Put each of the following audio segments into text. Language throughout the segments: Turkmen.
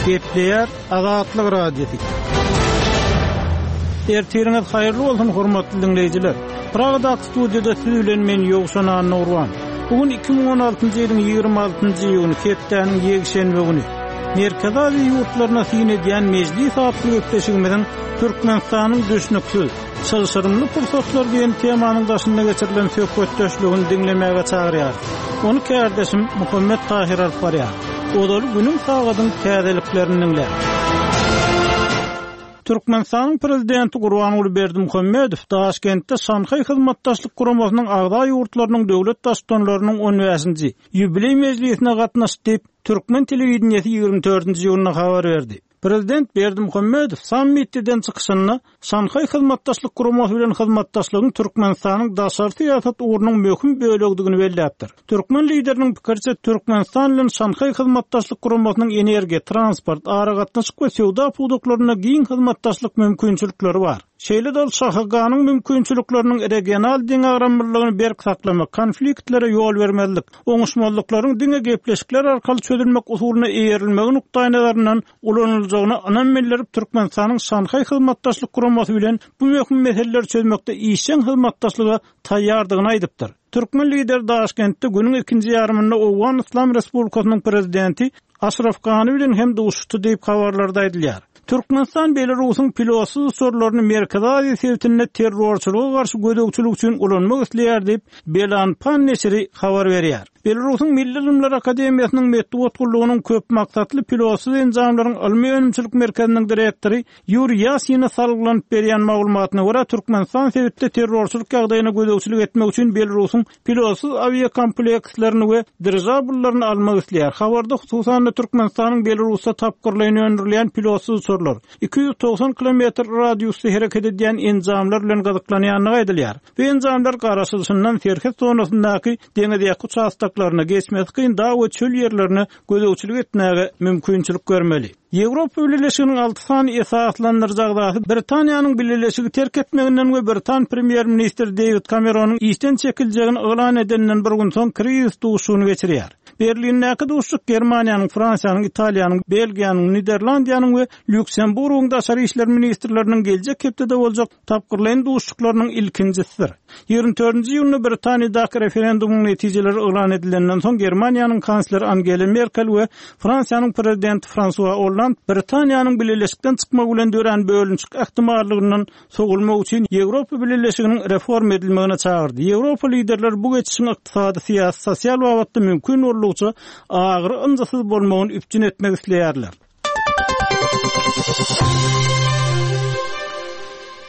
Gepleýär Azatlyk Radiosy. Ertiriňiz haýyrly bolsun, hormatly diňleýjiler! Pragadaky studiýada siz bilen men Ýowşan Annagurban. Bu gün 2016-njy ýylyň 26-njy iýuny, hepdäniň ýekşenbe güni. Merkezi Aziýa ýurtlaryna syn edýän Mejlis atly gepleşigimiziň Türkmenistanyň düşnüksiz, Çylşyrymly pursatlar diýen temanyň daşynda geçirilen söhbetdeşligini diňlemäge çagyrýarys. Ony kärdeşim Muhammet Tahyr alyp barýar. Ozaly günüň sagadyň täzeliklerini diňläň. Türkmenistanyň Prezidenti Gurbanguly Berdimuhamedow Daşkentde Şanhaý Hyzmatdaşlyk Guramasynyň agza ýurtlarynyň döwlet Baştutanlarynyň on bäşinji ýubileý mejlisine gatnaşdy diýip, türkmen telewideniýesi 24-nji iýunda habar berdi. Prezident Berdimuhamedow sammitde eden çykyşynda Şanhaý Hyzmatdaşlyk Guramasy bilen hyzmatdaşlygyň Türkmenistanyň daşary syýasat ugrunyň möhüm bölegidigini belläpdir. Türkmen Lideriniň pikiriçe, Türkmenistan bilen Şanhaý Hyzmatdaşlyk Guramasynyň energiýa, transport, aragatnaşyk we söwda pudaklarynda giň hyzmatdaşlyk mümkinçilikleri bar. Şeýle-de ol ŞHG-nyň mümkinçilikleriniň regional deňagramlylygyny berk saklamak, konfliktlere ýol bermezlik, oňuşmazlyklaryň diňe gepleşikler arkaly çözülmek usulyna eýerilmegi nukdaýnazaryndan ulanyljagyna ynam bildirip, Türkmenistanyň Şanhaý Hyzmatdaşlyk Guramasy bilen bu möhüm meseleleri çözmekde işjeň hyzmatdaşlyga taýýardygyny aýdypdyr. Türkmen Lideri Daşkentde günüň ikinji ýarymynda Owgan Yslam Respublikasynyň Prezidenti Aşraf Gani bilen hem duşuşdy diýip, habarlarda aýdylýar. Türkmenistan Belarusyň pilotsyz uçarlaryny Merkezi Aziýa sebitinde terrorçylyga garşy gözegçilik üçin ulanmak isleýär diýip, Belanpan neşiri habar berýär. Belarusyň Milli ylymlar akademiýasynyň metbugat gullugynyň köpmaksatly pilotsyz enjamlaryň ylmy-önümçilik merkeziniň direktory Ýuriý Ýasine salgylanyp berýän maglumatyna görä, Türkmenistan sebitde terrorçylyk ýagdaýyna gözegçilik etmek üçin Belarusyň pilotsyz awiakomplekslerini we dirižabllaryny almak isleýär. Habarda, hususan-da, Türkmenistanyň Belarusda tapgyrlaýyn öndürilýän pilotsyz uçarlar, 290 kilometr radiusda hereket edýän enjamlar bilen gyzyklanýandygy aýdylýar. Bu enjamlar garaşylyşyndan serhet zonasyndaky deňizýaka uçastoklaryna, geçmesi kyn dag we çöl ýerlerine gözegçilik etmäge mümkinçilik bermeli. Ýewropa Bileleşiginiň alty sany esaslandyryjy agzasy Britaniýanyň Bileleşigi terk etmeginden we britan premýer-ministri Deýwid Kameronyň işden çekiljegini yglan edeninden bir gün soň krizis duşuşygyny geçirýär. Berlindäki duşuşyk Germaniýanyň, Fransiýanyň, Italiýanyň, Belgiýanyň, Niderlandiýanyň we Lýuksemburgyň daşary işler ministrleriniň geljek hepdede boljak tapgyrlaýyn duşuşyklarynyň ilkinjisidir. 24-nji iýunda Britaniýadaky referendumyň netijeleri yglan edilenden soň Germaniýanyň kansleri Angela Merkel we Fransiýanyň prezidenti Fransua Olland Britaniýanyň bileleşikden çykmagy bilen dörän bölünişik ähtimallygyndan sowulmak üçin Ýewropa Bileleşiginiň reforma edilmegine çagyrdy. Ýewropa liderleri bu geçişiň ykdysady, syýasy, sosial babatda mümkin boldugyça agyry-ynjysyz bolmagyny üpjün etmek isleýärler.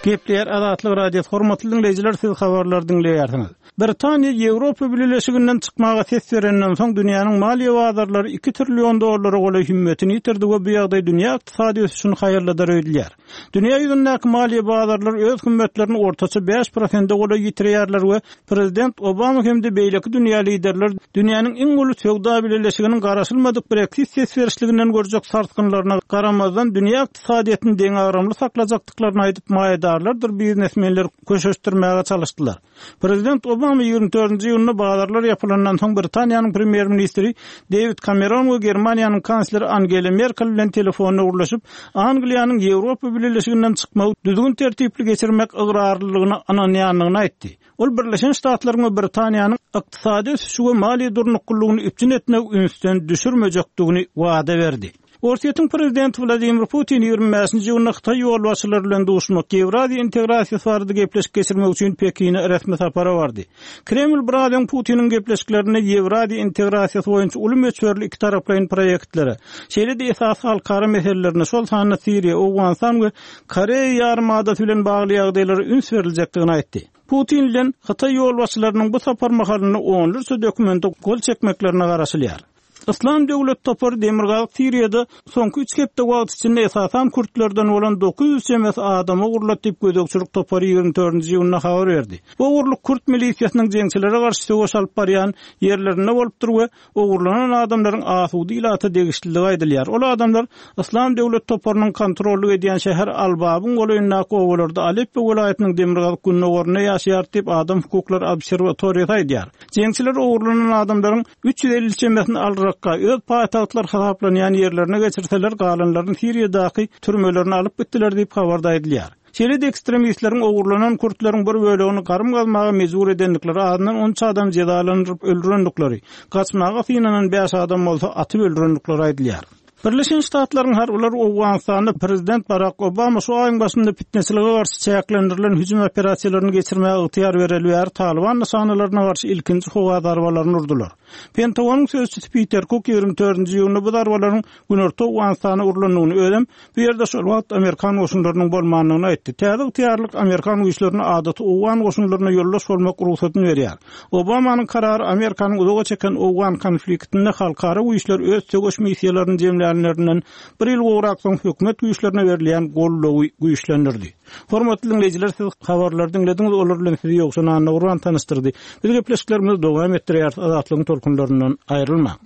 Gepleýär Azatlyk Radiosy, hormatly diňleýjiler, siz habarlary diňleýärsiňiz. Britaniýa Ýewropa Bileleşiginden çykmaga ses berenden soň dünýäniň maliýe bazarlary iki trillion dollara golaý hümmetini ýitirdi we bu ýagdaý dünýä ykdysady ösüşini haýalladar öýdülýär. Dünýä ýüzündäki maliýe bazarlary öz hümmetlerini ortaça bäş prosente golaý ýitirýärler we prezident Obama hem-de beýleki dünýä liderleri dünýäniň iň uly söwda bileleşiginiň garaşylmadyk Breksit ses berişliginden görjek sarsgynlaryna garamazdan dünýä ykdysadyýetini deňagramly saklajakdyklaryny aýdyp maýadarlardyr biznesmenleri köşeşdirmäge çalyşdylar. Prezident Obama 24-nji iýunda bazarlar ýapylandan soň Britaniýanyň premýer-ministri Dewid Kameron we Germaniýanyň kansleri Angela Merkel bilen telefonda gürleşip, Angliýanyň Ýewropa Bileleşiginden çykmagy düzgün-tertipli geçirmek ygrarlylygyna ynanýandygyny aýtdy. Ol Birleşen Ştatlaryň we Britaniýanyň ykdysady ösüşi we maliýe durnuklylygyny üpjün etmegi ünsden düşürmejekdigini wada berdi. Orsýetiň prezidenti Wladimir Putin 25-nji iýunda hytaý ýolbaşçylary bilen duşmak, Ýewraziýa integrasiýasy barada gepleşik geçirmek üçin Pekine resmi sapara bardy. Kreml biraz öň Putiniň gepleşiklerinde Ýewraziýa integrasiýasy boýunça uly möçberli ikitaraplaýyn proýektlere, şeýle-de esasy halkara meselelerine, şol sanda Siriýa, Owganystan we Koreýa ýarymadasy bilen bagly ýagdaýlara üns beriljekdigini aýtdy. Putin bilen hytaý ýolbaşçylarynyň bu sapar mahalynda onlarça dokumente gol çekmeklerine garaşylýar. Yslam döwlet topary Demirgazyk Siriýada soňky üç hepde wagt içinde esasan kürtlerden bolan 900 çemesi adamy ogurlady diýip gözegçilik topary 24-nji iýunda habar berdi. Bu ogurlyk kürt milisiýasynyň jeňçilere garşy söweş alyp barýan ýerlerinde bolupdyr we ogurlanan adamlaryň asuda ilata degişliligi aýdylýar. Ol adamlar Yslam döwlet toparynyň kontrollyk edýän şäher Al-Babyň golaýyndaky obalarda Aleppo welaýatynyň demirgazyk-gündogarynda ýaşaýar diýip adam hukuklary obserwatoriýasy aýdýar. Jeňçiler ogurlanan adamlaryň 350 çemesini Al-. Rakka öz paýtagtlary hasaplanýan ýerlerine geçirseler, galanlaryny Siriýadaky türmelerine alyp gitdiler diýip, habarda aýdylýar. Şeýle-de ekstremistleriň ogurlanan kürtleriň bir bölegini garym gazmaga mejbur edendikleri, azyndan on üç adamy jezalandyryp öldürendikleri, gaçmaga synanan bäş adam bolsa atyp öldürendikleri aýdylýar. Birleşen Ştatlaryň harbylary Owganystanda prezident Barak Obama şu aýyň başynda pitneçilige garşy çäklendirilen hüjüm operasiýalaryny geçirmäge ygtyýar bereli bäri Talyban nyşanalaryna garşy ilkinji howa zarbalaryny urdular. Pentagonyň sözçüsi Piter Kuk 24-nji iýunda bu zarbalaryň günorta Owganystana urlandygyny, özem bu ýerde şol wagt amerikan goşunlarynyň bolmandygyny aýtdy. Täze ygtyýarlyk amerikan güýçlerine adaty owgan goşunlaryna ýoldaş bolmak rugsadyny berýär. Obamanyň karary Amerikanyň uzaga çeken owgan konfliktinde halkara güýçler öz söweş missiýalaryny jemlänlerinden bir ýyl gowrak soň hökümet güýçlerine berilýän goldawy güýçlendirdi. Hormatly diňleýjiler, siz habarlary diňlediňiz, olar bilen sizi Ýowşan Annagurban tanyşdyrdy. Biz gepleşiklerimizi dowam etdirýäris, Azatlygyň tolkunlaryndan aýrylmaň.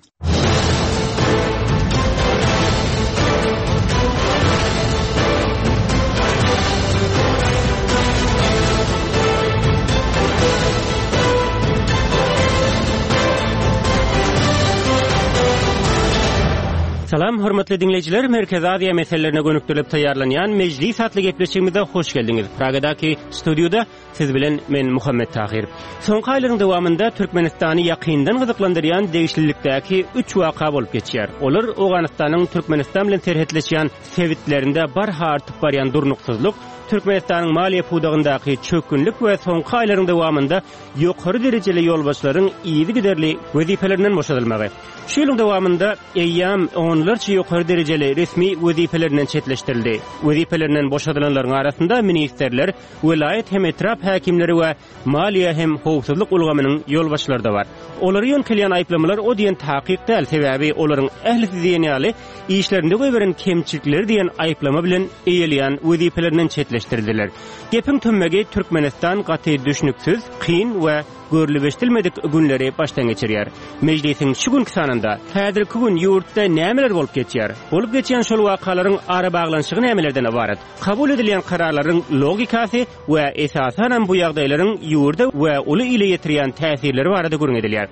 Salam, hormatly diňleýjiler, Merkezi Aziýa meselelerine gönükdirilip taýýarlanýan Mejlis atly gepleşigimize hoş geldiňiz. Pragadaky studiýada Siz bilen men Muhammet Tahyr. Soňky aýlaryň dowamynda Türkmenistany ýakyndan gyzyklandyrýan degişlilikdäki üç waka bolup geçýär. Olar Owganystanyň Türkmenistan bilen serhetleşýän sebitlerinde barha artyp barýan durnuksyzlyk, Türkmenistanyň maliýe pudagyndaky çökgünlik we soňky aýlaryň dowamynda ýokary derejeli ýolbaşçylaryň yzygiderli wezipelerinden boşadylmagy. Şu ýylyň dowamynda eýýäm onlarça ýokary derejeli resmi wezipelerinden çetleşdirildi. Wezipelerinden boşadylanlaryň arasynda ministrler, welaýat hem etrap häkimleri we maliýe hem howpsuzlyk ulgamynyň ýolbaşçylary-da bar. Olara ýöňkelýän aýyplamalar o diýen takyk däl, sebäbi olaryň ählisi diýen ýaly işlerinde goýberen kemçilikleri diýen aýyplama bilen eýeleýän wezipelerinden çetleşdirildiler. Gepiň tümmegi Türkmenistan gaty düşnüksiz, kyn we görlüp-eşidilmedik günleri başdan geçirýär. Mejlisiň şu günki sanynda häzirki gün ýurtda nämeler bolup geçýär? Bolup geçýän şol wakalaryň arabaglanyşygy nämelerden ybarat? Kabul edilýän kararlaryň logikasy we esasanam bu ýagdaýlaryň ýurda we uly ile ýetirýän täsirleri barada gürrüň edilýär.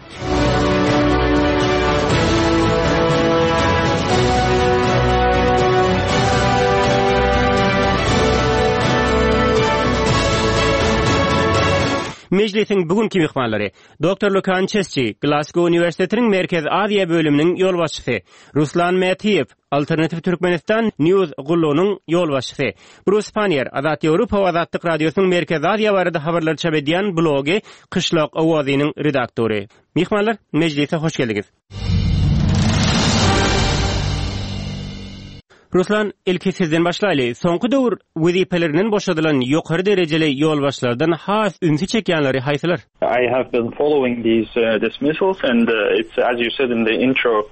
Mejlisiň bu günki myhmanlary, Doktor Lukan Çesçi, Glasgow uniwersitetiniň Merkezi Aziýa bölüminiň ýolbaşçysy, Ruslan Mätiýew, Alternative Türkmenistan News gullugynyň ýolbaşçysy Brus Panniýer, Azat Ýewropa we Azatlyk Radiosynyň Merkezi Aziýa barada habarlary çap edýän blogy Kyşlak owazynyň redaktory. Myhmanlar, mejlise hoş geldiňiz. Ruslan, ilki sizden başlaýly. Soňky döwür wezipelerinden boşadylan ýokary derejeli ýolbaşçylardan has ünsi çekýänleri haýsylar? I have been following these dismissals and it's as you said in the intro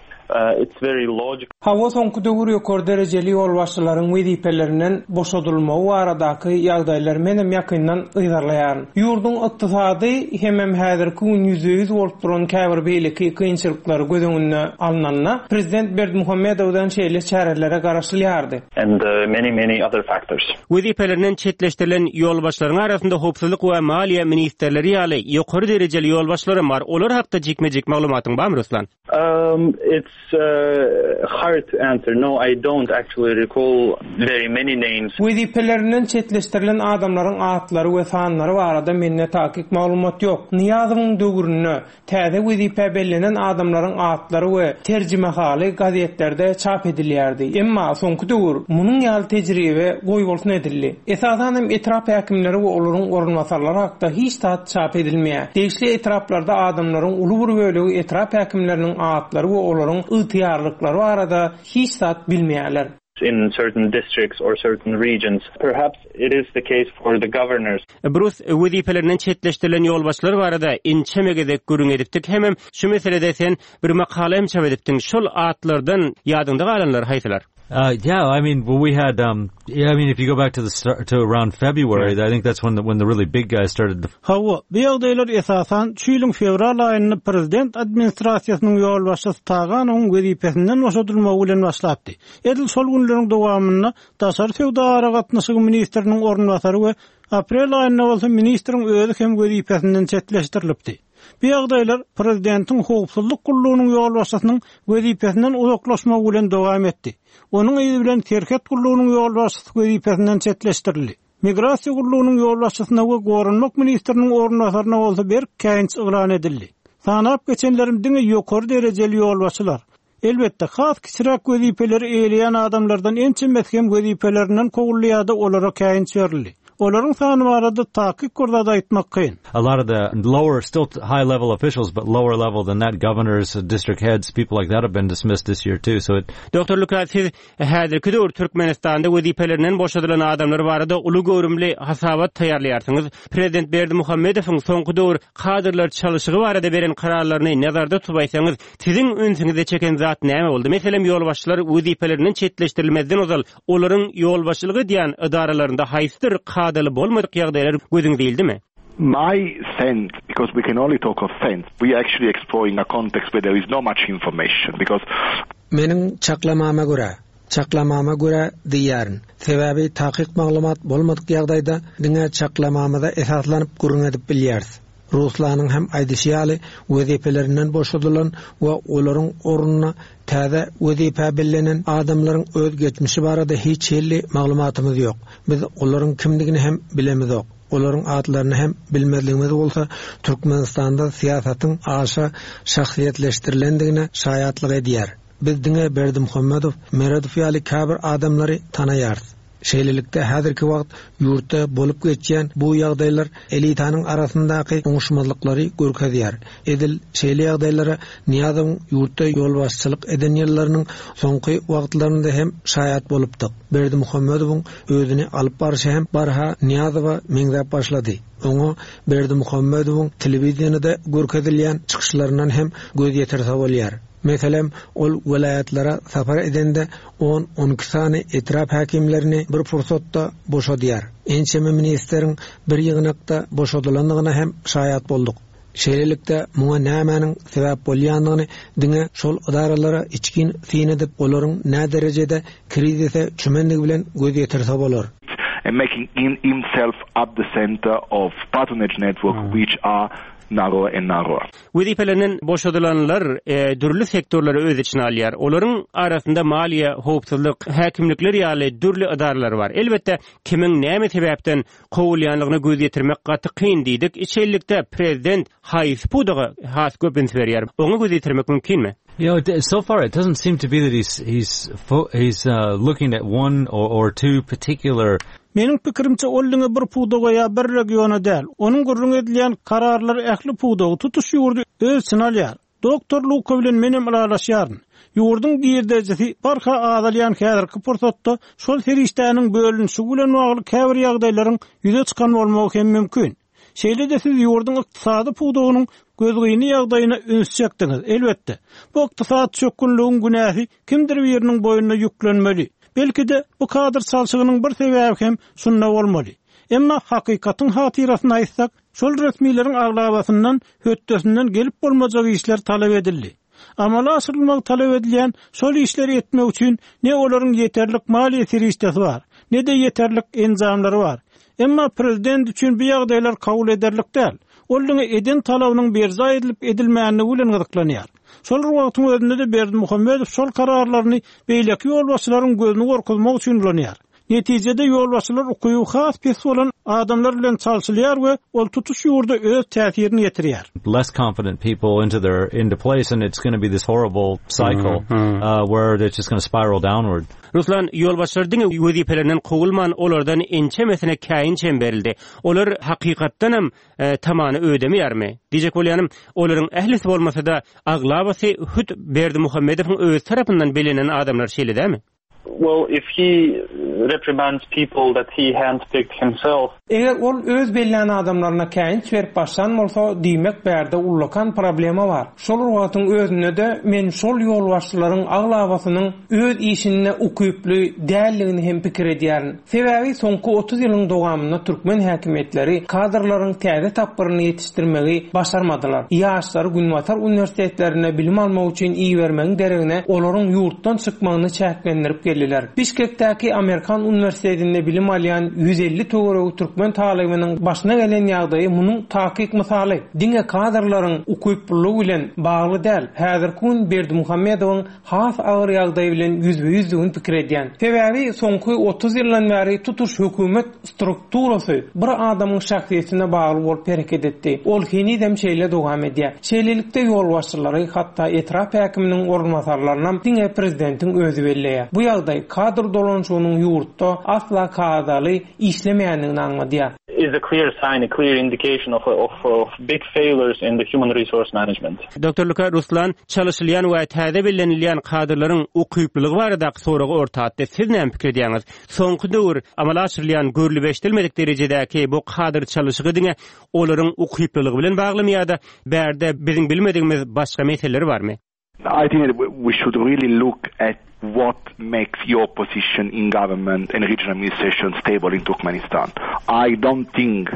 it's very logical. Hawa soňky döwür ýokary derejeli ýolbaşçylaryň wezipelerinden boşadylmagy baradaky ýagdaýlary menem ýakyndan yzarlaýaryn. Ýurduň ykdysady hemem häzirki gün ýüzbe-ýüz bolup duran käbir beýleki kynçylyklary göz öňünde alnanda, prezident Berdimuhamedowdan şeýle çärelere garaşylýardy. And many many other factors. Wezipelerinden çetleşdirilen ýolbaşçylaryň arasynda howpsuzlyk we maliýe ministrleri ýaly ýokary derejeli ýolbaşçylaram bar. Olar hakda jikme-jik maglumatyň barmy, Ruslan? It's hard to answer. No, I don't actually recall very many names. Wezipelerinden çetleşdirilen adamlaryň atlary we sanlary barada mende takyk maglumat ýok. Nyýazowyň döwründe Täze wezipä bellenen adamlaryň atlary we terjimehaly gazetlerde çap edilýärdi. Emma soňky döwür munuň ýaly tejribe goýbolsun edildi. Esasan hem etrap häkimleri we olaryň orunbasarlary hakda hiç zat çap edilmeýär. Degişli etraplarda adamlaryň uly bir bölegi etrap häkimleriniň atlary we olaryň ygtyýarlyklary barada hiç zat bilmeýärler. in certain districts or certain regions. Perhaps it is the case for the governors. Brus, wezipelerinden çetleşdirilen ýolbaşçylar barada ençeme gezek gürrüň edipdik hemem şu meselede sen bir makala hem çap edipdiň. Şol atlardan ýadyňda galanlary haýsylar? Uh, yeah, I mean, well, we had, um, yeah, I mean, if you go back to the start, to around February, I think that's when the, when the really big guys started to Hawa, bu ýagdaýlar esasan şu ýylyň fewral aýynda prezident administrasiýasynyň ýolbaşçysy Taganowyň wezipesinden boşadylmagy bilen başlapdy. Edil şol günleriň dowamynda daşary söwda aragatnaşygy ministriniň orunbasary we aprel aýynda bolsa ministriň özi hem wezipesinden çetleşdirilipdi. Bu ýagdaýlar prezidentiň howpsuzlyk gullugynyň ýolbaşçysynyň wezipesinden uzaklaşmagy bilen dowam etdi. Onuň yzy bilen serhet gullugynyň ýolbaşçysy wezipesinden çetleşdirildi. Migrasiýa gullugynyň ýolbaşçysyna we goranmak ministriniň orunbasaryna bolsa berk käýinç yglan edildi. Sanap geçenlerim diňe ýokary derejeli ýolbaşçylar. Elbetde, has kiçiräk wezipeleri eýeleýän adamlardan ençemesi hem wezipelerinden kowuldy ýa-da olara käýinç berildi. Olaryň sany barada takyk bir zat aýtmak kyn. A lot of the lower, still high level officials, but lower level than that, governors, district heads, people like that have been dismissed this year too. So it Doktor Luka, siz Häzirki döwür Türkmenistanda wezipelerinden boşadylan adamlar barada uly göwrümli hasabat taýýarlaýarsyňyz. Prezident Berdimuhamedowyň soňky döwür kadrlar çalyşygy barada beren kararlaryny nazarda tutup aýtsaňyz, siziň ünsüňizi çeken zat näme boldy? Meselem, ýolbaşçylar wezipelerinden çetleşdirilmezden ozal olaryň ýolbaşçylyk edýän edaralarynda haýsydyr kadaly bolmadyk ýagdaýlar gözüňize ildimi? My sense, because we can only talk of sense, we actually exploring a context where there is no much information because Meniň çaklamama görä, çaklamama görä diýýärin, sebäbi takyk maglumat bolmadyk ýagdaýda diňe çaklamamyza esaslanyp gürrüň edip bilýäris. Ruslanyň hem aýdyşy ýaly, wezipelerinden boşadylan we olaryň ornuna täze wezipä bellenen adamlaryň öz geçmişi barada hiç hili maglumatymyz ýok. Biz olaryň kimdigini hem bilemizok. Olaryň atlaryny hem bilmezligimiz bolsa Türkmenistanda syýasatyň aşa şahsyýetleşdirilendigine şaýatlyk edýär. Biz diňe Berdimuhamedow, Meredow ýaly käbir adamlary tanaýarys. Şeýlelikde, häzirki wagt ýurtda bolup geçýän bu ýagdaýlar elitanyň arasyndaky oňuşmazlyklary görkezýär. Edil şeýle ýagdaýlara Nyýazowyň ýurtda ýolbaşçylyk eden ýyllarynyň soňky wagtlarynda hem şaýat bolupdyk. Berdimuhamedowyň özüni alyp barşy hem barha Nyýazowa meňzäp başlady. Oňa Berdimuhamedowyň telewideniýede görkezilýän çykyşlaryndan hem göz ýetirse bolýar. Meselem, ol welaýatlara sapar edende on-on iki sany etrap häkimlerini bir pursatda boşadýar. Ençeme ministeriň bir ýygnakda boşadylandygyna hem şaýat bolduk. Şeýlelikde, muňa nämäniň sebäp bolýandygyny diňe şol edaralara içgin syn edip, olaryň näderejede krizise çümendigi bilen göz ýetirse bolar. and making himself at the center of patronage network which are narrower and narrower. Wezipelerinden boşadylanlar dürli sektorlary öz içine alýar. Olaryň arasynda maliýe, howpsuzlyk, häkimlikler ýaly dürli edaralar bar. Elbetde, kimiň näme sebäpden kowulýanlygyna göz ýetirmek gaty kyn diýdik. Şeýlelikde, prezident haýsy pudaga has köp üns berýär? Oňa göz ýetirmek mümkinmi? You know, so far it doesn't seem to be that he's he's he's uh, looking at one or, or two particular Meniň pikirimçe, ol diňe bir pudaga ýa bir regiona däl, onuň gürrüňi edilýän kararlary ähli pudagy, tutuş ýurdy öz içine alýar. Doktor Luka bilen menem ylalaşýaryn. Ýurduň girdejisi barha azalýan häzirki pursatda şol serişdäniň bölünişigi bilen bagly käbir ýagdaýlaryň ýüze çykan bolmagy hem mümkin. Şeýle-de siz ýurduň ykdysady pudagynyň gözgyny ýagdaýyna üns çekdiňiz. Elbetde, bu ykdysady çökgünligiň günäsi kimdir biriniň boýnuna ýüklenmeli. Belki-de, bu kadr çalşygynyň bir sebäbi hem şunda bolmaly. Emma hakykatyň hatyrasyna aýtsak, Şol resmileriň aglabasyndan hötdesinden gelip bolmajak işler talap edildi. Amala aşyrylmagy talap edilýän şol işleri etmek üçin ne olaryň ýeterlik maliýe serişdesi bar, ne-de ýeterlik enjamlary bar. Emma prezident üçin bu ýagdaýlar kabul ederlik däl. Ol diňe eden talabynyň berjaý edilip-edilmänligi bilen gyzyklanýar. Şol bir wagtyň özünde-de Berdimuhamedow şol kararlaryny beýleki ýolbaşçylaryň gözüni gorkuzmak üçin ulanýar. Netijede ýolbaşçylar ukyby has pes bolan adamlar bilen çalşylýar we ol tutuş ýurda öz täsirini ýetirýär. Less confident people into their into place and it's gonna be this horrible cycle where it's just gonna spiral downward. Ruslan, ýolbaşçylar diňe wezipelerinden kowulman, olardan ençemesine käýinç hem berildi. Olar hakykatdanam tamany ödemeýärmi? Diýjek bolýanym, olaryň ählisi bolmasa-da, aglabasy hut Berdimuhamedowyň özi tarapyndan bellenen adamlar şeýle dälmi? Well, if he reprimands people that he handpicked himself. Eger ol öz bellän adamlaryna käýinç berip başlan bolsa, diýmek bärde ullakan problema bar. Şol bir wagtyň özünde-de men şol ýolbaşçylaryň aglabasynyň öz işinde ukyply däldigini hem pikir edýärin. Sebäbi soňky 30 ýylyň dowamynda türkmen häkimiýetleri kadrlaryň täze tapgyryny ýetişdirmegi başarmadylar. Ýaşlary günbatar uniwersitetlerinde bilim almak üçin ibermegiň deregine olaryň ýurtdan çykmagyny çäklendirip geldiler. biler. Bişkekdäki Amerikan uniwersitetinde bilim alýan 150 töweregi türkmen talybynyň başyna gelen ýagdaýy munuň takyk mysaly. Diňe kadrlaryň ukyplylygy bilen bagly däl, häzirki gün Berdimuhamedowyň has agyr ýagdaý bilen ýüzbe-ýüzdigini pikir edýän. Sebäbi soňky 30 ýyldan bäri tutuş hökümet strukturasy bir adamyň şahsyýetine bagly bolup hereket etdi. Ol henizem şeýle dowam edýär. Şeýlelikde ýolbaşçylary, hatda etrap häkiminiň orunbasarlarynam diňe prezidentiň özi belleýär. Bu ýagdaý kadr dolanyşygynyň ýurtda asla kadaly işlemeýändigini aňladýar. Is a clear sign, a clear indication of of of big failures in the human resource management. Doctor Luka Ruslan çalyşylýan we täze bellenilýän kadrlaryň ukyplylygy baradaky soragy orta atdy. Siz näme pikir edýäňiz? Soňky döwür amala aşyrylýan görlüp-eşidilmedik derejedäki bu kadr çalyşygy diňe olaryň ukyplylygy bilen baglymy ýa-da bärde biziň bilmedigimiz başga meseleler barmy? I think that we should really look at what makes your position in government and regional administration stable in Turkmenistan. I don't think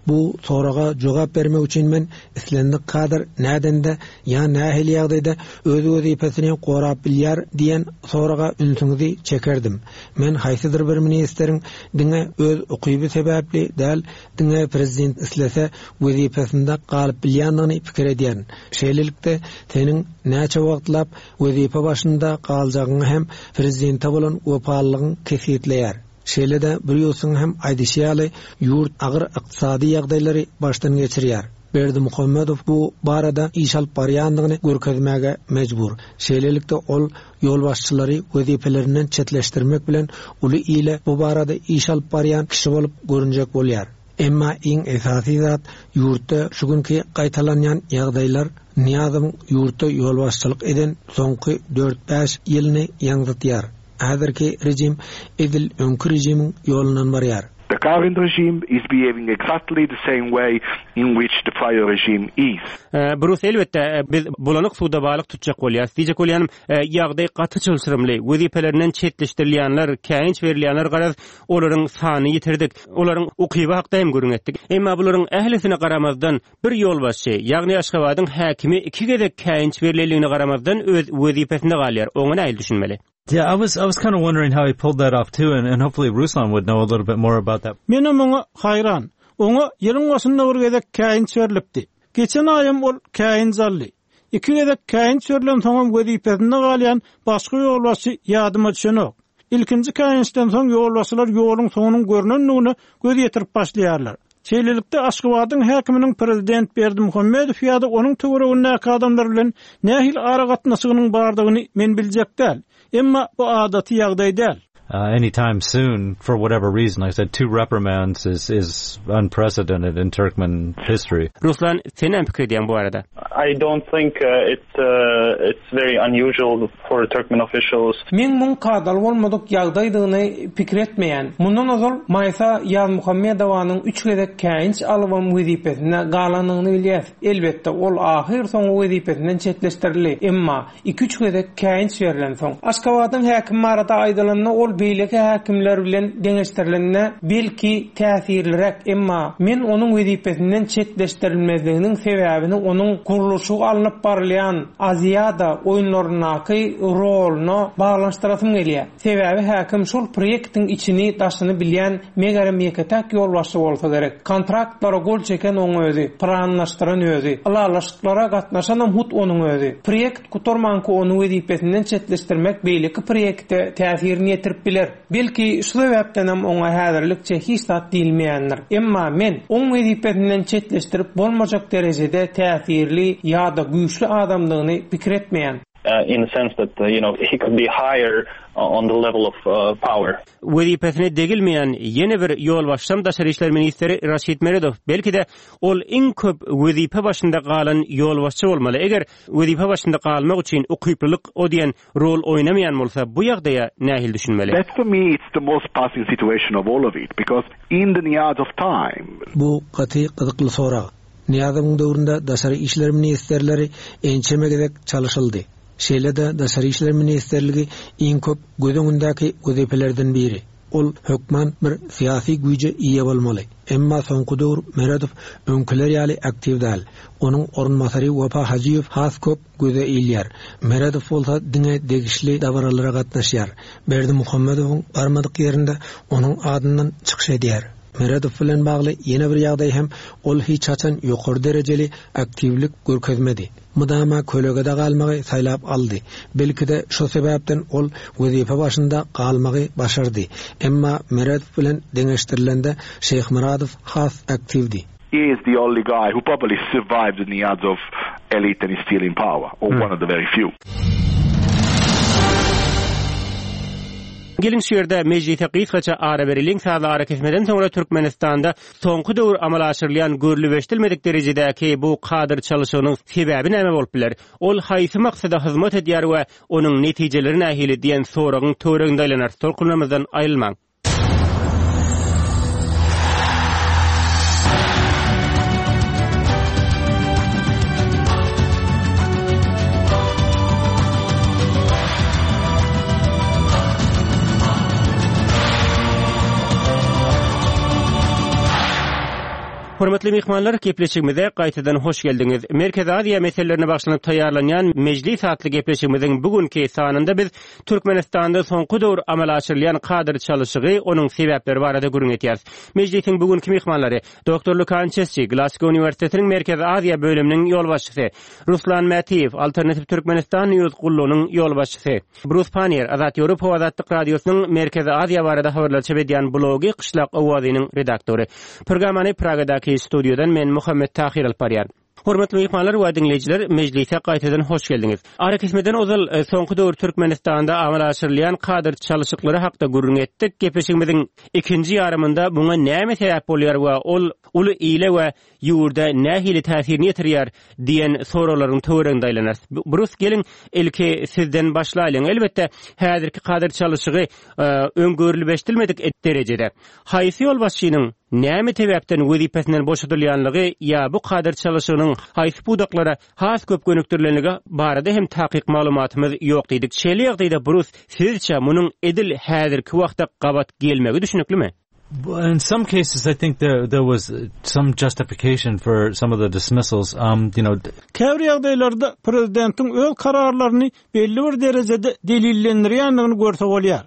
Bu soraga jogap bermek üçin men islendik kadr nädende ýa nähili ýagdaýda öz wezipesini gorap bilýär diýen soraga ünsüňizi çekerdim. Men haýsydyr bir ministriň diňe öz ukyby sebäpli däl, diňe prezident islese wezipesinde galyp bilýändigini pikir edýärin. Şeýlelikde, seniň näçe wagtlap wezipe başynda galjagyňy hem prezidente bolan wepalylygyň kesgitleýär. Şeýle-de Brýusyň hem aýdyşy ýaly, ýurt agyr ykdysady ýagdaýlary başdan geçirýär. Berdimuhamedow bu barada iş alyp barýandygyny görkezmäge mejbur. Şeýlelikde, ol ýolbaşçylary wezipelerinden çetleşdirmek bilen uly ile bu barada iş alyp barýan kişi bolup görünjek bolýar. Emma iň esasy zat, ýurtda şu günki gaýtalanýan ýagdaýlar Nyýazowyň ýurtda ýolbaşçylyk eden soňky dört-bäş ýylyny ýaňzytýar. Häzirki režim edil öňki režimiň ýolundan barýar. The current regime is behaving exactly the same way in which the prior regime is. Brus, elbetde, biz bulanyk suwda balyk tutjak bolýarys. Diýjek bolýanym, ýagdaý gaty çylşyrymly. Wezipelerinden çetleşdirilýänler, käýinç berilýänler, garaz, olaryň sanyny ýitirdik. Olaryň ukyby hakda hem gürrüň etdik. Emma bularyň ählisine garamazdan, Bir ýolbaşçy, ýagny Aşgabadyň häkimi iki gezek käýinç berlenligine garamazdan öz wezipesinde galýar. Oňa nähili düşünmeli? Yeah, I was I was kind of wondering how he pulled that off too, and, and hopefully Ruslan would know a little bit more about that. Menem oňa haýran. Oňa ýylyň başynda bir gezek käýinç berlipdi. Geçen aýam ol käýinç aldy. Iki gezek käýinç berlensoňam wezipesinde galýan başga ýolbaşçy ýadyma düşenok. Ilkinji käýinçden soň ýolbaşçylar ýoluň soňunyň görnendigine göz ýetirip başlaýarlar. Şeýlelikde, Aşgabadyň häkiminiň prezident Berdimuhamedow ýa-da onuň töweregindäki adamlar bilen nähili aragatnaşygynyň bardygyny men biljek däl. Emma bu adaty ýagdaý däl. Anytime soon for whatever reason. Like I said, two reprimands is is unprecedented in Turkmen history. Ruslan, sen näme pikir edýäň bu barada? I don't think it's it's very unusual for Turkmen officials. Men muň kadaly bolmadyk ýagdaýdygyny pikir etmeýän. Mundan ozal Maýsa Ýazmuhammedowanyň üç gezek käýinç alybam wezipesinde galanyny bilýäs. Elbetde, ol ahyrsoňy wezipesinden çetleşdirildi. Emma iki-üç gezek käýinç berlensoň. Aşgabadyň häkimi barada aýdylanda, ol beýleki häkimler bilen deňeşdirilende, belki, täsirliräk, emma men onuň wezipesinden çetleşdirilmezliginiň sebäbini onuň gurluşygy alnyp barylýan Aziada oýunlaryndaky roluna baglanyşdyrasym gelýär. Sebäbi häkim şol proýektiň içini, daşyny bilýän, megerem ýeke-täk ýolbaşçy bolsa gerek. Kontraktlara gol çeken oň özi, planlaşdyran özi, ylalaşyklara gatnaşanam hut onuň özi. Proýekt gutarmanka ony wezipesinden çetleşdirmek beýleki proýekte täsirini ýetirip biler. Belki, şu sebäpdenem oňa häzirlikçe hiç zat diýilmeýändir. Emma men oň wezipesinden çetleşdirip bolmajak derejede täsirli ýa-da güýçli adamdygyny pikir etmeýän. In the sense that, you know, he could be higher on the level of power. Wezipesine degilmeýän ýene bir ýolbaşçam daşary işler ministri Raşid Meredow. Belki-de, ol iň köp wezipe başynda galan ýolbaşçy bolmaly. Eger wezipe başynda galmak üçin ukyplylyk o diýen rol oýnamaýan bolsa, bu ýagdaýa nähili düşünmeli? That for me it's the most puzzling situation of all of it because in the Niyazov time. Bu gaty gyzykly sorag. Nyýazowyň döwründe daşary işler ministrleri ençeme gezek çalyşyldy. Şeýle-de Daşary işler ministrligi iň köp göz öňündäki wezipelerden biri. ol hökman bir syýasy güýje eýe bolmaly. Emma soňky döwür Meredow öňküler ýaly aktiw däl. Onuň orunbasary Wepa Hajyýew has köp göze ilýär. Meredow bolsa diňe degişli dabaralara gatnaşýar. Berdimuhamedowyň barmadyk ýerinde onuň adyndan çykyş edýär. Meredow bilen bagly ýene bir ýagdaý hem ol hiç haçan ýokary derejeli aktiwlik görkezmedi. Mydama kölegede galmagy saýlap aldy. Belki-de şo sebäpden ol wezipe başynda galmagy başardy. Emma Meredow bilen deňeşdirilende Şeýhmyradow has aktiwdi. He is the only guy who probably survived the Niyazov elite and is still in power, or one of the very few. Geliň şu ýerde mejlise gysgaça ara bereliň, sazly arakesmeden soňra Türkmenistanda soňky döwür amala aşyrylýan görlüp-eşidilmedik derejedäki bu kadr çalyşygynyň sebäbi näme bolup biler? Ol haýsy maksada hyzmat edýär we onuň netijeleri nähili diýen soragyň töwereginde aýlanarys. Tolkunlarymyzdan aýrylmaň. Hormatly myhmanlar, gepleşigimize gaýtadan hoş geldiňiz. Merkezi Aziýa meselelerine bagyşlanyp taýýarlanýan Mejlis atly gepleşigimiziň bu günki sanynda biz Türkmenistanda soňky döwür amala aşyrylýan kadr çalyşygy, onuň sebäpleri barada gürrüň etýäris. Mejlisiň bu günki myhmanlary, doktor Lukan Çesçi, Glasgo uniwersitetiniň Merkezi Aziýa bölüminiň ýolbaşçysy, Ruslan Mätiýew, Alternative Türkmenistan News gullugynyň ýolbaşçysy, Brus Panniýer, Azat Ýewropa we Azatlyk Radiosynyň Merkezi Aziýa barada habarlar çap edýän blogy Kyşlak owazynyň redaktory. Programmany Pragadaky studiýadan men Muhammet Tahyr alyp barýan. Hormatly myhmanlar we diňleýjiler, mejlise gaýtadan hoş geldiňiz. Arakesmeden ozal, soňky döwür Türkmenistanda amala aşyrylýan kadr çalyşyklary hakda gürrüň etdik. Gepleşigimiziň ikinji ýarymynda muňa näme sebäp bolýar we ol uly ile we ýurda nähili täsirini ýetirýär diýen soraglaryň töwereginde aýlanarys. Brus, geliň, ilki sizden başlaýlyň. Elbetde, häzirki kadr çalyşygy öň görlüp-eşidilmedik derejede. Haýsy ýolbaşçynyň näme sebäpden wezipesinden boşadylýanlygy ýa bu kadr çalyşygynyň haýsy pudaklara has köp gönükdirilenligi barada hem takyk maglumatymyz ýok diýdik. Şeýle ýagdaýda Brus, sizçe munuň edil häzirki wagta gabat gelmegi düşüniklimi? In some cases I think there there was some justification for some of the dismissals. Um, you know, Käbir ýagdaýlarda prezidentiň öz kararlaryny belli bir derejede delillendirýändigini görse bolýar.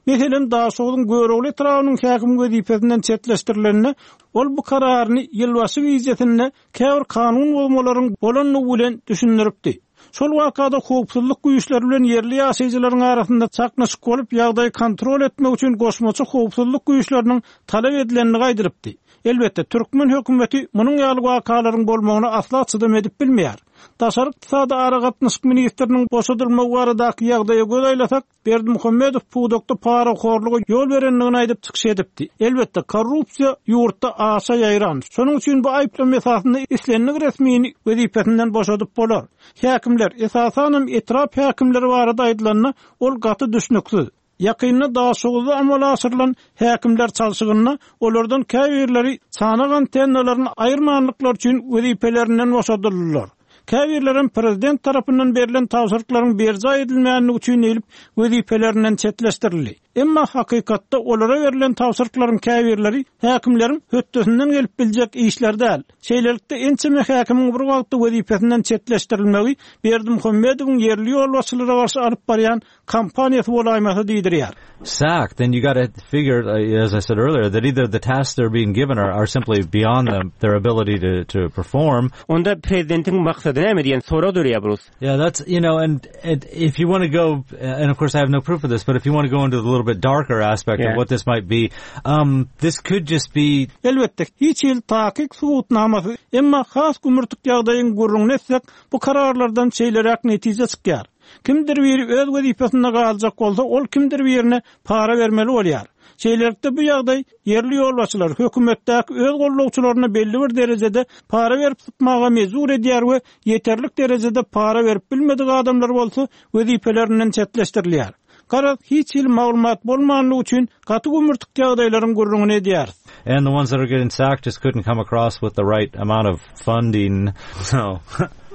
Meselem, Daşogzuň Görogly etrabynyň häkimi wezipesinden çetleşdirilende, ol bu kararyny ýylbaşy gijesinde käbir kanun bozmalaryň bolandygy bilen düşündiripdi. Şol wakada howpsuzlyk güýçleri bilen ýerli ýaşaýjylaryň arasynda çaknyşyk bolup, ýagdaýy kontrol etmek üçin goşmaça howpsuzlyk güýçleriniň talap edilendigi aýdylypdy. Elbetde, türkmen hökümeti munuň ýaly wakalaryň bolmagyna asla çydam edip bilmeýär. Daşary ykdysady aragatnaşyk ministriniň boşadylmagy baradaky ýagdaýa göz aýlasak, Berdimuhamedow pudakda parahorluga ýol berendigini aýdyp çykyş edipdi. Elbetde, korrupsiýa ýurtda aşa ýaýran. Şonuň üçin bu aýyplama esasynda islendik resmini wezipesinden boşadyp bolar. Häkimler, esasanam etrap häkimleri barada aýdylanda, ol gaty düşnüksiz. Ýakynda Daşoguzda amala aşyrylan häkimler çalşygynda olardan käbirleri çanak antennalaryny aýyrmandyklary üçin wezipelerinden boşadyldylar. Käbirlerem prezident tarapyndan berlen tabşyryklaryň berjaý edilmänligi üçin diýlip, wezipelerinden çetleşdirildi. Emma hakykatda olara berlen tabşyryklaryň käbirleri häkimleriň hötdesinden gelip biljek işler däl. Şeýlelikde, ençeme häkimiň bir wagtda wezipesinden çetleşdirilmegi Berdimuhamedowyň ýerli ýolbaşçylara garşy alyp barýan kampaniýasy bolaýmasa diýdirýär. Sacked, then you gotta figure, uh, as I said earlier, that either the tasks they're being given are, are simply beyond them, their ability to, to perform. Onda prezidentiň maksady näme diýen sorag döreýär Brus. Yeah, that's, you know, and, and if you want to go, and of course I have no proof of this, but if you want to go into the little bit darker aspect yeah. of what this might be, um, this could just be... Elbetde, hiç hili takyk subutnamasy, emma has gümürtik ýagdaýyň gürrüňini etsek, bu kararlardan şeýleräk netije çykýar. Kimdir biri öz wezipesinde galjak bolsa, ol kimdir birine para bermeli bolýar. Şeýlelikde, bu ýagdaý ýerli ýolbaşçylary hökümetdäki öz gollagçylaryna belli bir derejede para berip sypmaga mejbur edýär we ýeterlik derejede para berip bilmedik adamlar bolsa wezipelerinden çetleşdirilýär. Garaz, hiç hili maglumat bolmanlygy üçin gaty gümürtik ýagdaýlaryň gürrüňini edýäris. And the ones that are getting sacked just couldn't come across with the right amount of funding. So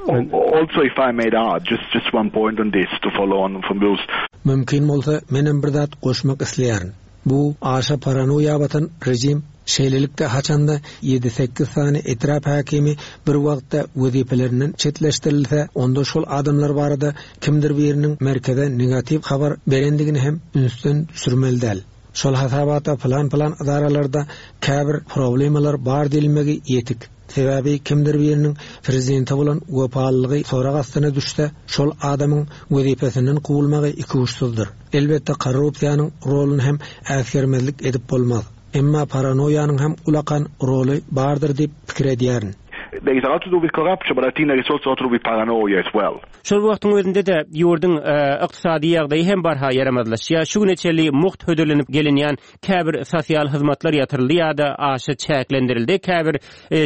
Also if I may add just just one point on this to follow on from Bruce. Mümkin bolsa menem bir zat goşmak isleýärin. Bu aşa paranoýa batan režim. Şeýlelikde, haçanda ýedi-sekiz sany etrap häkimi bir wagtda wezipelerinden çetleşdirilse, onda şol adamlar barada kimdir biriniň merkeze negatiw habar berendigini hem ünsden düşürmeli däl. Şol hasabata pylan-pylan edaralarda käbir problemalar bar diýilmegi ýetik. Sebäbi kimdir biriniň prezidente bolan wepalylygy sorag astyna düşse, şol adamyň wezipesinden kowulmagy ikuçsuzdyr. Elbetde korrupsiýanyň roluny hem äsgermezlik edip bolmaz. Emma paranoýanyň hem ulakan roly bardyr diýip pikir edýärin. There is a lot to do with corruption, but I think there is also a lot to do with paranoia as well. Şol wagtyň özünde-de ýurduň ykdysady ýagdaýy hem barha ýaramazlaşýar. Şu güne çenli mugt hödürlenip gelinýän käbir sosial hyzmatlar ýatyryldy ýa-da aşa çäklendirildi. Käbir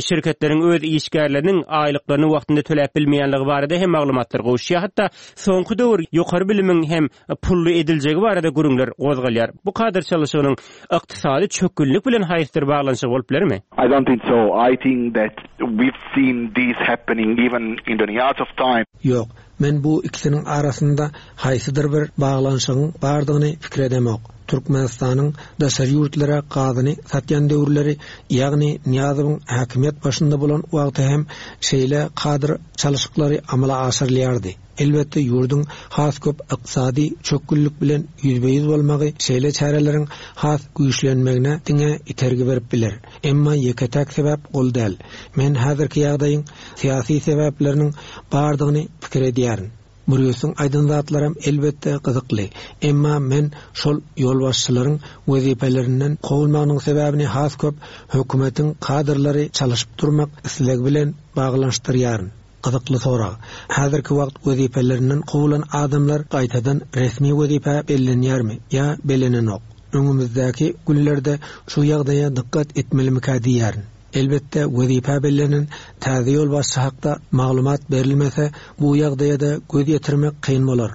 şirketleriň öz işgärleriniň aýlyklaryny wagtynda töläp bilmeýänligi barada hem maglumatlar gowuşýar. Hatda soňky döwür ýokary bilimiň hem pully ediljegi barada gürrüňler gozgalýar. Bu kadr çalyşygynyň ykdysady çökgünlik bilen haýsydyr baglanyşygy bolup bilermi? I don't think so. I think that we've seen this happening even in the Niyazov time. Ýok, men bu ikisiniň arasynda haýsydyr bir baglanyşygyň bardygyny pikir edemok. Türkmenistanyň daşary ýurtlara gazyny satýan döwürleri, ýagny Nyýazowyň häkimiýet başynda bolan wagty hem şeýle kadr çalyşyklary amala aşyrylýardy. Elbetde, ýurduň has köp ykdysady çökgünlik bilen ýüzbe-ýüz bolmagy şeýle çäreleriň has güýçlenmegine diňe itergi berip biler. Emma ýeke-täk sebäp ol däl. Men häzirki ýagdaýyň syýasy sebäpleriniň bardygyny pikir edýärin. Brýusyň aýdan zatlaram elbetde gyzykly. Emma men şol ýolbaşçylaryň wezipelerinden kowulmagynyň sebäbini has köp hökümetiň kadrlary çalyşyp durmak islegi bilen baglanyşdyrýaryn. Gyzykly sorag. Häzirki wagt wezipelerinden kowulan adamlar gaýtadan resmi wezipä bellenýärmi ýa bellenenok? Öňümizdäki günlerde şu ýagdaýa dykgat etmelimikä diýýärin. Elbetde wezipä bellenen täze ýolbaşçy hakda maglumat berilmese bu ýagdaýa-da göz ýetirmek kyn bolar.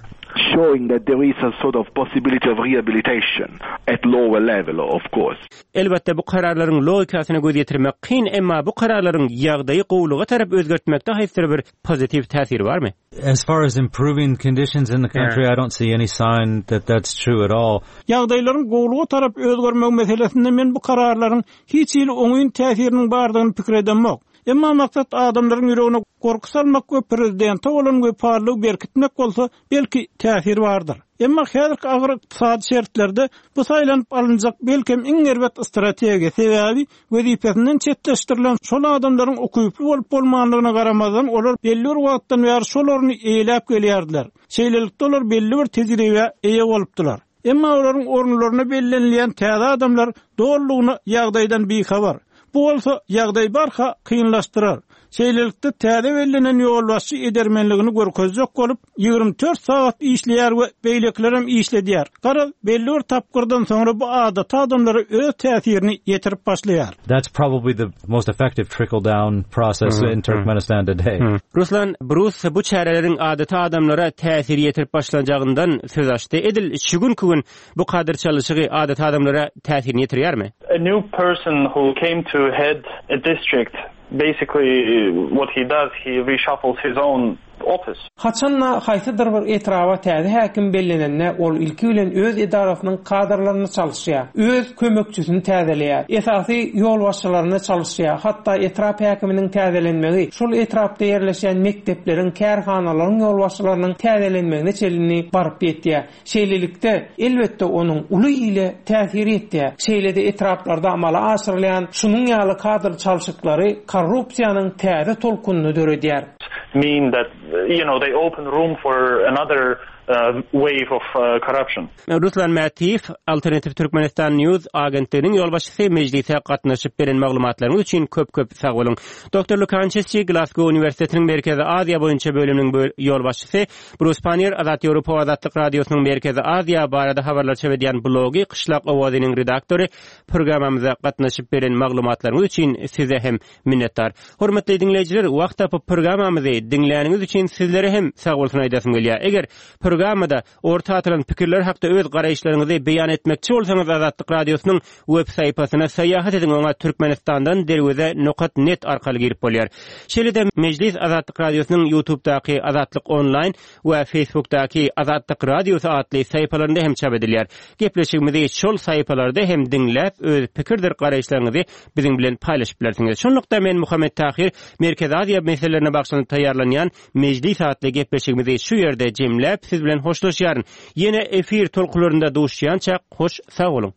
Showing that there is a sort of possibility of rehabilitation at lower level of course. Elbetde, bu kararlaryň logikasyna göz ýetirmek kyn, emma bu kararlaryň ýagdaýy gowulyga tarap özgertmekde haýsydyr bir pozitiw täsiri barmy? As far as improving conditions in the country, I don't see any sign that that's true at all. Ýagdaýlaryň gowulyga tarap özgermegi meselesinde men bu kararlaryň hiç hili oňyn täsiriniň bardygyny pikir edemok. Emma maksat adamlaryň ýüregine gorky salmak we prezidente bolan wepalylygy berkitmek bolsa, belki, täsir bardyr. Emma häzirki agyr ykdysady şertlerde bu saýlanyp alynjak belkem iň erbet strategiýa, sebäbi wezipesinden çetleşdirilen şol adamlaryň ukyply bolup-bolmandygyna garamazdan olar belli bir wagtdan bäri şol orny eýeläp gelýärdiler. Şeýlelikde olar belli bir tejribä eýe bolupdylar. Emma olaryň orunlaryna bellenilýän täze adamlar dolulygyna ýagdaýdan bihabar. Bu bolsa ýagdaýy barha kynlaşdyrar. Şeýlelikde, täze bellenen ýolbaşçy edermenligini görkezjek bolup, 24 sagat işleýär we beýlekilerem işledýär. Garaz, belli bir tapgyrdan soňra bu adaty adamlara öz täsirini ýetirip başlaýar. That's probably the most effective trickle down process in Turkmenistan today. Ruslan Brus bu çäreleriň adaty adamlara täsir ýetirip başlanjagyndan söz açdy. Edil şu günki gün bu kadr çalyşygy adaty adamlara täsirini ýetirýärmi? A new person who came to head a district, basically what he does, he reshuffles his own office. Haçan-da haýsydyr bir etraba täze häkim bellenende, ol ilki bilen öz edarasynyň kadrlaryny çalyşýar, öz kömekçisini täzeleýär, esasy ýolbaşçylaryny çalyşýar, hatda etrap häkiminiň täzelenmegi şol etrapda ýerleşýän mekdepleriň, kärhanalaryň ýolbaşçylarynyň täzelenmegine çenli baryp ýetýär. Şeýlelikde, elbetde, onuň uly ile täsiri ýetýär. Şeýle-de etraplarda amala aşyrylýan şunuň ýaly kadr çalşyklary korrupsiýanyň täze tolkunyny döredýär. Mean that, you know, they open room for another wave of corruption. Ruslan Mätiýew, Alternative Turkmenistan News agentliginiň ýolbaşçysy mejlise gatnaşyp beren maglumatlaryňyz üçin köp-köp sag boluň. Doktor Lukan Çesçi, Glasgow uniwersitetiniň Merkezi Aziýa boýunça bölüminiň ýolbaşçysy, Brus Pannier, Azat Ýewropa we Azatlyk Radiosynyň Merkezi Aziýa barada habarlar çap edýän blogy Kyşlak owazynyň redaktory, programmamyza gatnaşyp beren maglumatlaryňyz üçin size hem minnetdar. Hormatly diňleýjiler, wagt tapyp programmamyzy diňläniňiz üçin sizlere hem sagbolsun aýdasym gelýär. Eger. Programmada orta atylan pikirler hakda öz garaýyşlaryňyzy beýan etmekçi bolsaňyz Azatlyk Radiosynyň web sahypasyna syýahat ediň oňa Türkmenistandan derweze nokat net arkaly girip bolýar. Şeýle-de Mejlis Azatlyk Radiosynyň Ýutubdaky Azatlyk onlaýn we Facebookdaky Azatlyk Radiosy atly sahypalarynda hem çap edilýär. Gepleşigimizi şol sahypalarda hem diňläp öz pikirdir garaýyşlaryňyzy biziň bilen paýlaşyp bilersiňiz. Şunlukda men Muhammet Tahyr Merkezi Aziýa meselelerine bagyşlanyp taýýarlanýan Mejlis atly gepleşigimizi şu ýerde jemläp, siz bilen hoşlaşýaryn. Ýene efir tolkunlarynda duşýançak, hoş sag boluň!